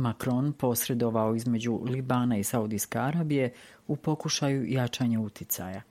Macron posredovao između Libana i Saudijske Arabije u pokušaju jačanja uticaja.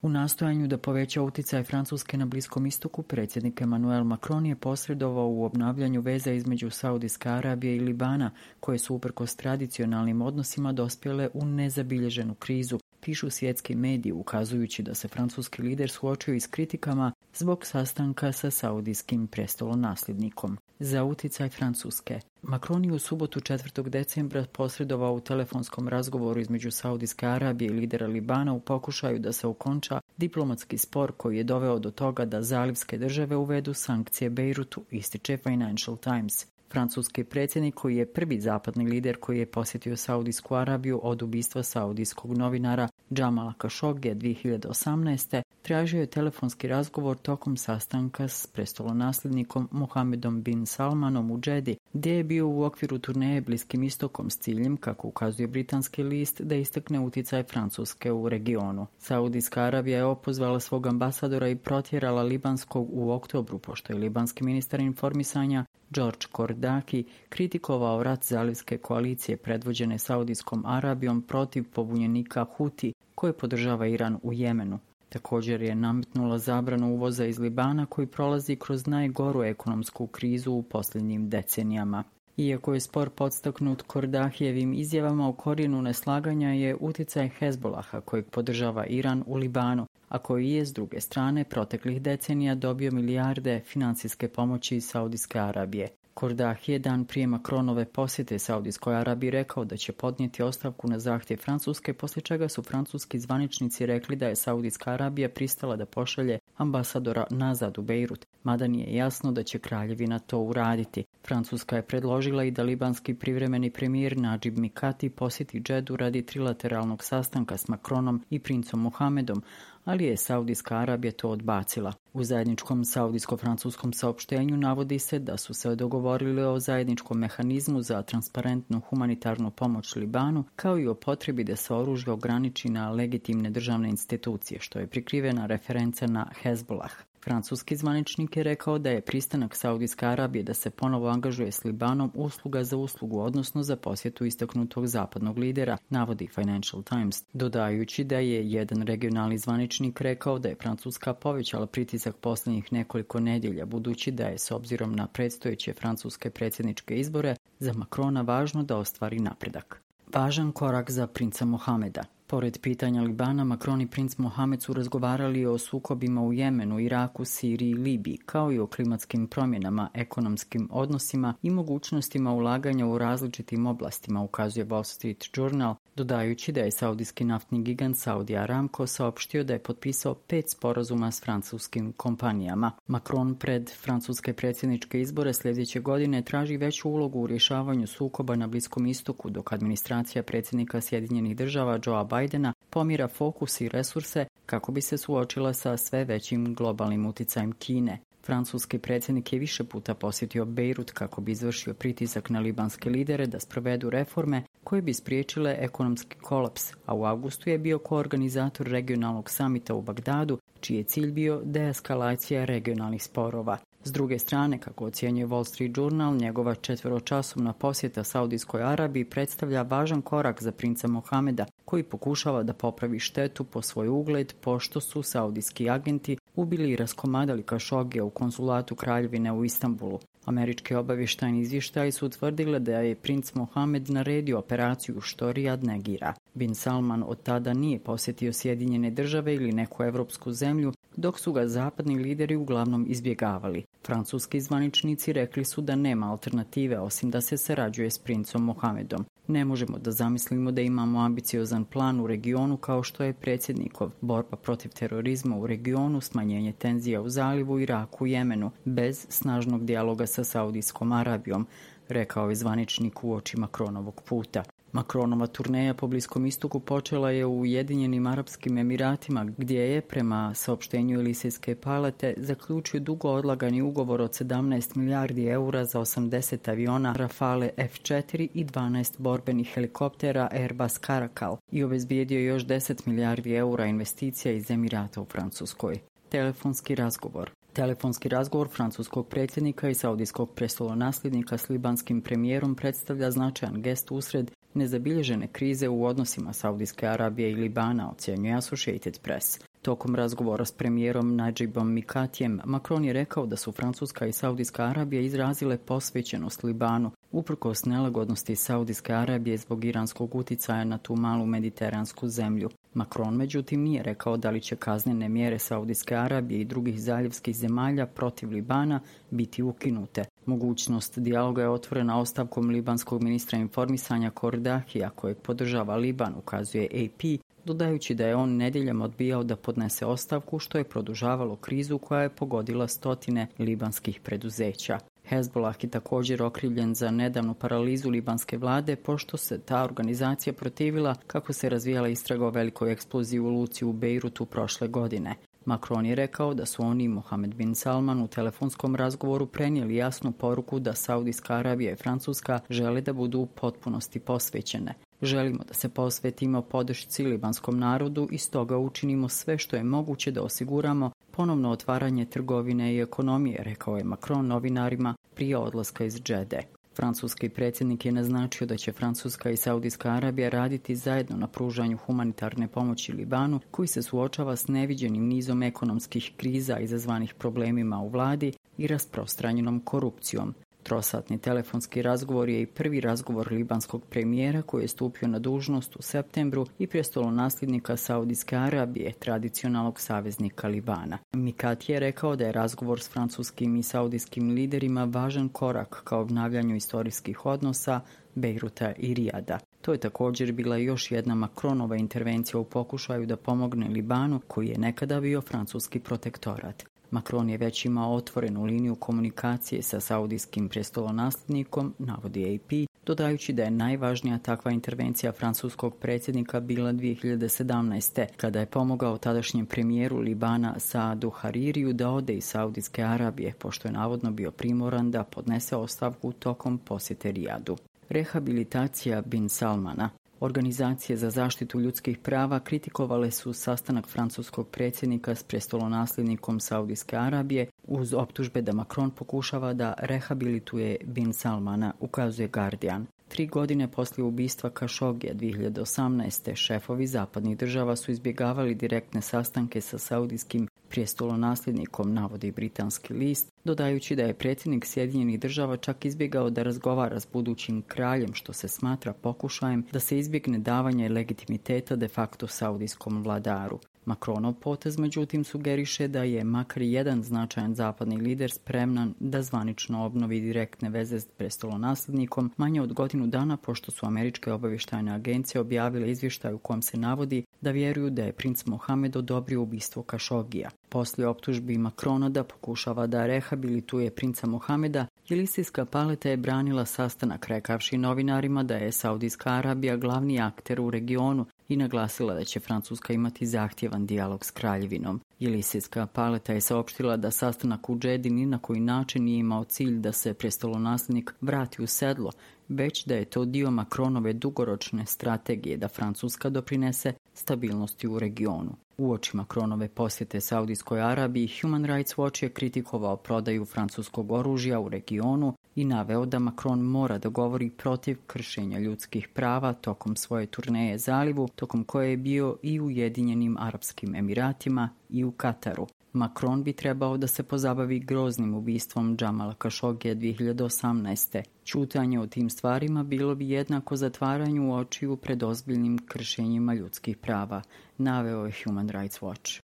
U nastojanju da poveća uticaj Francuske na Bliskom istoku, predsjednik Emmanuel Macron je posredovao u obnavljanju veza između Saudijske Arabije i Libana, koje su uprkos tradicionalnim odnosima dospjele u nezabilježenu krizu, pišu svjetski mediji, ukazujući da se francuski lider suočio i s kritikama zbog sastanka sa saudijskim prestolonasljednikom. Za uticaj Francuske, Macron je u subotu 4. decembra posredovao u telefonskom razgovoru između Saudijske Arabije i lidera Libana u pokušaju da se okonča diplomatski spor koji je doveo do toga da zalivske države uvedu sankcije Bejrutu, ističe Financial Times. Francuski predsjednik, koji je prvi zapadni lider koji je posjetio Saudijsku Arabiju od ubistva saudijskog novinara Džamala Kašogija 2018. tražio je telefonski razgovor tokom sastanka s prestolonasljednikom Mohamedom bin Salmanom u Džedi, gdje je bio u okviru turneje Bliskim istokom s ciljem, kako ukazuje britanski list, da istakne uticaj Francuske u regionu. Saudijska Arabija je opozvala svog ambasadora i protjerala libanskog u oktobru, pošto je libanski ministar informisanja George Kordaki kritikovao rat zalivske koalicije predvođene Saudijskom Arabijom protiv pobunjenika Huti koje podržava Iran u Jemenu. Također je nametnula zabranu uvoza iz Libana koji prolazi kroz najgoru ekonomsku krizu u posljednjim decenijama. Iako je spor podstaknut Kordahijevim izjavama, u korijenu neslaganja je uticaj Hezbolaha kojeg podržava Iran u Libanu, a koji je s druge strane proteklih decenija dobio milijarde financijske pomoći iz Saudijske Arabije. Kordahi je dan prije Macronove posjete Saudijskoj Arabiji rekao da će podnijeti ostavku na zahtjev Francuske, poslije čega su francuski zvaničnici rekli da je Saudijska Arabija pristala da pošalje ambasadora nazad u Bejrut, mada nije jasno da će kraljevina to uraditi. Francuska je predložila i da libanski privremeni premijer Nadžib Mikati posjeti Džedu radi trilateralnog sastanka s Macronom i princom Mohamedom, ali je Saudijska Arabija to odbacila. U zajedničkom saudijsko-francuskom saopštenju navodi se da su se dogovorili o zajedničkom mehanizmu za transparentnu humanitarnu pomoć Libanu, kao i o potrebi da se oružje ograniči na legitimne državne institucije, što je prikrivena referenca na Hezbollah. Francuski zvaničnik je rekao da je pristanak Saudijske Arabije da se ponovo angažuje s Libanom usluga za uslugu, odnosno za posjetu istaknutog zapadnog lidera, navodi Financial Times, dodajući da je jedan regionalni zvaničnik rekao da je Francuska povećala pritisak posljednjih nekoliko nedjelja, budući da je s obzirom na predstojeće francuske predsjedničke izbore za Macrona važno da ostvari napredak. Važan korak za princa Mohameda. Pored pitanja Libana, Macron i princ Mohamed su razgovarali o sukobima u Jemenu, Iraku, Siriji i Libiji, kao i o klimatskim promjenama, ekonomskim odnosima i mogućnostima ulaganja u različitim oblastima, ukazuje Wall Street Journal, dodajući da je saudijski naftni gigant Saudi Aramco saopštio da je potpisao 5 sporazuma s francuskim kompanijama. Macron pred francuske predsjedničke izbore sljedeće godine traži veću ulogu u rješavanju sukoba na Bliskom istoku, dok administracija predsjednika Sjedinjenih država Joea Bidena pomjera fokus i resurse kako bi se suočila sa sve većim globalnim uticajem Kine. Francuski predsjednik je više puta posjetio Bejrut kako bi izvršio pritisak na libanske lidere da sprovedu reforme koje bi spriječile ekonomski kolaps, a u avgustu je bio koorganizator regionalnog samita u Bagdadu, čiji je cilj bio deeskalacija regionalnih sporova. S druge strane, kako ocjenjuje Wall Street Journal, njegova 4-časovna posjeta Saudijskoj Arabiji predstavlja važan korak za princa Mohameda, koji pokušava da popravi štetu po svoj ugled, pošto su saudijski agenti ubili i raskomadali Kašogija u konzulatu kraljevine u Istanbulu. Američki obavještajni izvještaji su utvrdile da je princ Mohamed naredio operaciju što Rijad negira. Bin Salman od tada nije posjetio Sjedinjene države ili neku evropsku zemlju, dok su ga zapadni lideri uglavnom izbjegavali. Francuski zvaničnici rekli su da nema alternative osim da se sarađuje s princom Mohamedom. Ne možemo da zamislimo da imamo ambiciozan plan u regionu kao što je predsjednikov, borba protiv terorizma u regionu, smanjenje tenzija u zalivu, Iraku i Jemenu, bez snažnog dijaloga sa Saudijskom Arabijom, rekao je zvaničnik uoči Macronovog puta. Macronova turneja po Bliskom istoku počela je u Ujedinjenim Arapskim Emiratima, gdje je, prema saopštenju Elisejske palate, zaključio dugo odlagani ugovor od 17 milijardi eura za 80 aviona Rafale F4 i 12 borbenih helikoptera Airbus Caracal i obezbijedio još 10 milijardi eura investicija iz Emirata u Francuskoj. Telefonski razgovor. Telefonski razgovor francuskog predsjednika i saudijskog prestolonasljednika s libanskim premijerom predstavlja značajan gest usred nezabilježene krize u odnosima Saudijske Arabije i Libana, ocjenjuje Associated Press. Tokom razgovora s premijerom Najibom Mikatijem, Macron je rekao da su Francuska i Saudijska Arabija izrazile posvećenost Libanu, uprkos nelagodnosti Saudijske Arabije zbog iranskog uticaja na tu malu mediteransku zemlju. Macron, međutim, nije rekao da li će kaznene mjere Saudijske Arabije i drugih zaljevskih zemalja protiv Libana biti ukinute. Mogućnost dijaloga je otvorena ostavkom libanskog ministra informisanja Kordahija, kojeg podržava Liban, ukazuje AP, dodajući da je on nedjeljom odbijao da podnese ostavku, što je produžavalo krizu koja je pogodila stotine libanskih preduzeća. Hezbollah je također okrivljen za nedavnu paralizu libanske vlade, pošto se ta organizacija protivila kako se razvijala istraga o velikoj eksploziji u luci u Bejrutu prošle godine. Macron je rekao da su oni i Mohammed bin Salman u telefonskom razgovoru prenijeli jasnu poruku da Saudijska Arabija i Francuska žele da budu u potpunosti posvećene. Želimo da se posvetimo podršci libanskom narodu i stoga učinimo sve što je moguće da osiguramo ponovno otvaranje trgovine i ekonomije, rekao je Macron novinarima prije odlaska iz Džede. Francuski predsjednik je naznačio da će Francuska i Saudijska Arabija raditi zajedno na pružanju humanitarne pomoći Libanu, koji se suočava s neviđenim nizom ekonomskih kriza izazvanih problemima u vladi i rasprostranjenom korupcijom. Trosatni telefonski razgovor je i prvi razgovor libanskog premijera koji je stupio na dužnost u septembru i prestolonasljednika Saudijske Arabije, tradicionalnog saveznika Libana. Mikati je rekao da je razgovor s francuskim i saudijskim liderima važan korak ka obnavljanju istorijskih odnosa Bejruta i Rijada. To je također bila još jedna Macronova intervencija u pokušaju da pomogne Libanu, koji je nekada bio francuski protektorat. Macron je već imao otvorenu liniju komunikacije sa saudijskim prestolonasljednikom, navodi AP, dodajući da je najvažnija takva intervencija francuskog predsjednika bila 2017. kada je pomogao tadašnjem premijeru Libana Saadu Haririju da ode iz Saudijske Arabije, pošto je navodno bio primoran da podnese ostavku tokom posjete Rijadu. Rehabilitacija bin Salmana. Organizacije za zaštitu ljudskih prava kritikovale su sastanak francuskog predsjednika s prestolonasljednikom Saudijske Arabije uz optužbe da Macron pokušava da rehabilituje bin Salmana, ukazuje Guardian. 3 godine poslije ubistva Kašogija 2018. šefovi zapadnih država su izbjegavali direktne sastanke sa saudijskim prestolonasljednikom, navodi britanski list, dodajući da je predsjednik Sjedinjenih država čak izbjegao da razgovara s budućim kraljem, što se smatra pokušajem da se izbjegne davanje legitimiteta de facto saudijskom vladaru. Macronov potez, međutim, sugeriše da je makar jedan značajan zapadni lider spreman da zvanično obnovi direktne veze s prestolonasljednikom manje od godinu dana pošto su američke obavještajne agencije objavile izvještaj u kojem se navodi da vjeruju da je princ Mohamed odobrio ubistvo Kašogija. Poslije optužbi Macrona da pokušava da rehabilituje princa Mohameda, Jelisijska paleta je branila sastanak rekavši novinarima da je Saudijska Arabija glavni akter u regionu i naglasila da će Francuska imati zahtjevan dijalog s kraljevinom. Jelisijska paleta je saopštila da sastanak u Džedi ni na koji način nije imao cilj da se prestolonasljednik vrati u sedlo, već da je to dio Macronove dugoročne strategije da Francuska doprinese stabilnosti u regionu. Uoči Macronove posjete Saudijskoj Arabiji, Human Rights Watch je kritikovao prodaju francuskog oružja u regionu i naveo da Macron mora da govori protiv kršenja ljudskih prava tokom svoje turneje zalivu, tokom koje je bio i u Ujedinjenim Arapskim Emiratima i u Kataru. Macron bi trebao da se pozabavi groznim ubistvom Džamala Kašogija 2018. Ćutanje o tim stvarima bilo bi jednako zatvaranju očiju pred ozbiljnim kršenjima ljudskih prava, naveo je Human Rights Watch.